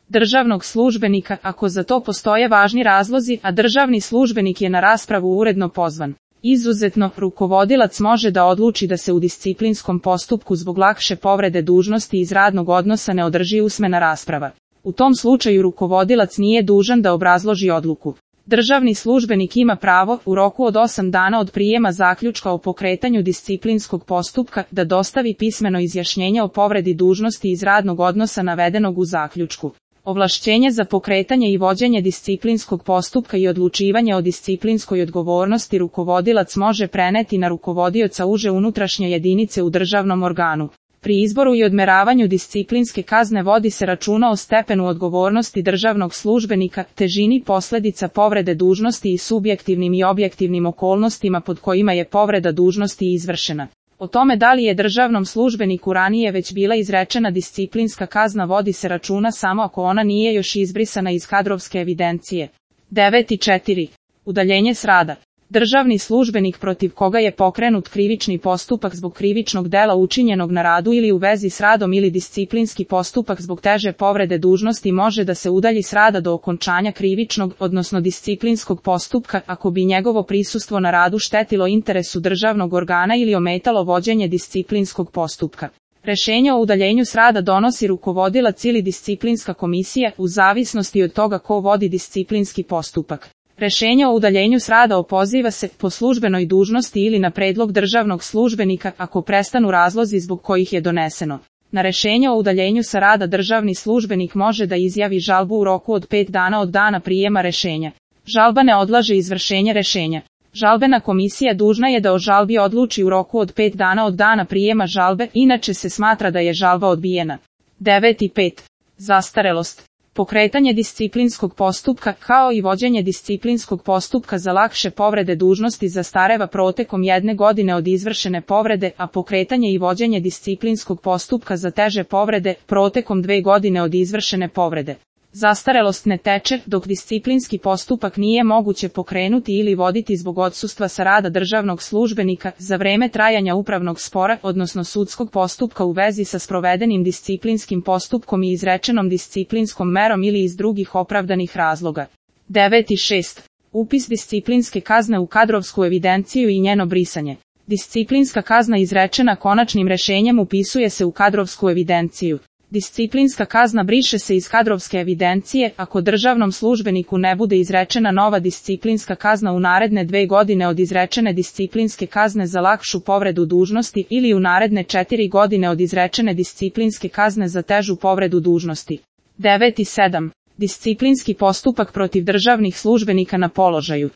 državnog službenika ako za to postoje važni razlozi, a državni službenik je na raspravu uredno pozvan. Izuzetno, rukovodilac može da odluči da se u disciplinskom postupku zbog lakše povrede dužnosti iz radnog odnosa ne održi usmena rasprava. U tom slučaju rukovodilac nije dužan da obrazloži odluku. Državni službenik ima pravo, u roku od 8 dana od prijema zaključka o pokretanju disciplinskog postupka, da dostavi pismeno izjašnjenje o povredi dužnosti iz radnog odnosa navedenog u zaključku. Ovlašćenje za pokretanje i vođenje disciplinskog postupka i odlučivanje o disciplinskoj odgovornosti rukovodilac može preneti na rukovodioca uže unutrašnje jedinice u državnom organu. Pri izboru i odmeravanju disciplinske kazne vodi se računa o stepenu odgovornosti državnog službenika, težini posljedica povrede dužnosti i subjektivnim i objektivnim okolnostima pod kojima je povreda dužnosti izvršena. O tome da li je državnom službeniku ranije već bila izrečena disciplinska kazna vodi se računa samo ako ona nije još izbrisana iz kadrovske evidencije. 9.4. Udaljenje s rada. Državni službenik protiv koga je pokrenut krivični postupak zbog krivičnog dela učinjenog na radu ili u vezi s radom ili disciplinski postupak zbog teže povrede dužnosti može da se udalji s rada do okončanja krivičnog, odnosno disciplinskog postupka, ako bi njegovo prisustvo na radu štetilo interesu državnog organa ili ometalo vođenje disciplinskog postupka. Rešenje o udaljenju s rada donosi rukovodilac ili disciplinska komisija, u zavisnosti od toga ko vodi disciplinski postupak. Rešenje o udaljenju s rada opoziva se po službenoj dužnosti ili na predlog državnog službenika ako prestanu razlozi zbog kojih je doneseno. Na rešenje o udaljenju sa rada državni službenik može da izjavi žalbu u roku od 5 dana od dana prijema rešenja. Žalba ne odlaže izvršenje rešenja. Žalbena komisija dužna je da o žalbi odluči u roku od 5 dana od dana prijema žalbe, inače se smatra da je žalba odbijena. 9.5. Zastarelost. Pokretanje disciplinskog postupka, kao i vođenje disciplinskog postupka za lakše povrede dužnosti zastareva protekom 1 godine od izvršene povrede, a pokretanje i vođenje disciplinskog postupka za teže povrede, protekom 2 godine od izvršene povrede. Zastarelost ne teče, dok disciplinski postupak nije moguće pokrenuti ili voditi zbog odsustva sa rada državnog službenika, za vreme trajanja upravnog spora, odnosno sudskog postupka u vezi sa sprovedenim disciplinskim postupkom i izrečenom disciplinskom merom ili iz drugih opravdanih razloga. 9.6. Upis disciplinske kazne u kadrovsku evidenciju i njeno brisanje. Disciplinska kazna izrečena konačnim rešenjem upisuje se u kadrovsku evidenciju. Disciplinska kazna briše se iz kadrovske evidencije ako državnom službeniku ne bude izrečena nova disciplinska kazna u naredne 2 godine od izrečene disciplinske kazne za lakšu povredu dužnosti ili u naredne 4 godine od izrečene disciplinske kazne za težu povredu dužnosti. 9.7. Disciplinski postupak protiv državnih službenika na položaju.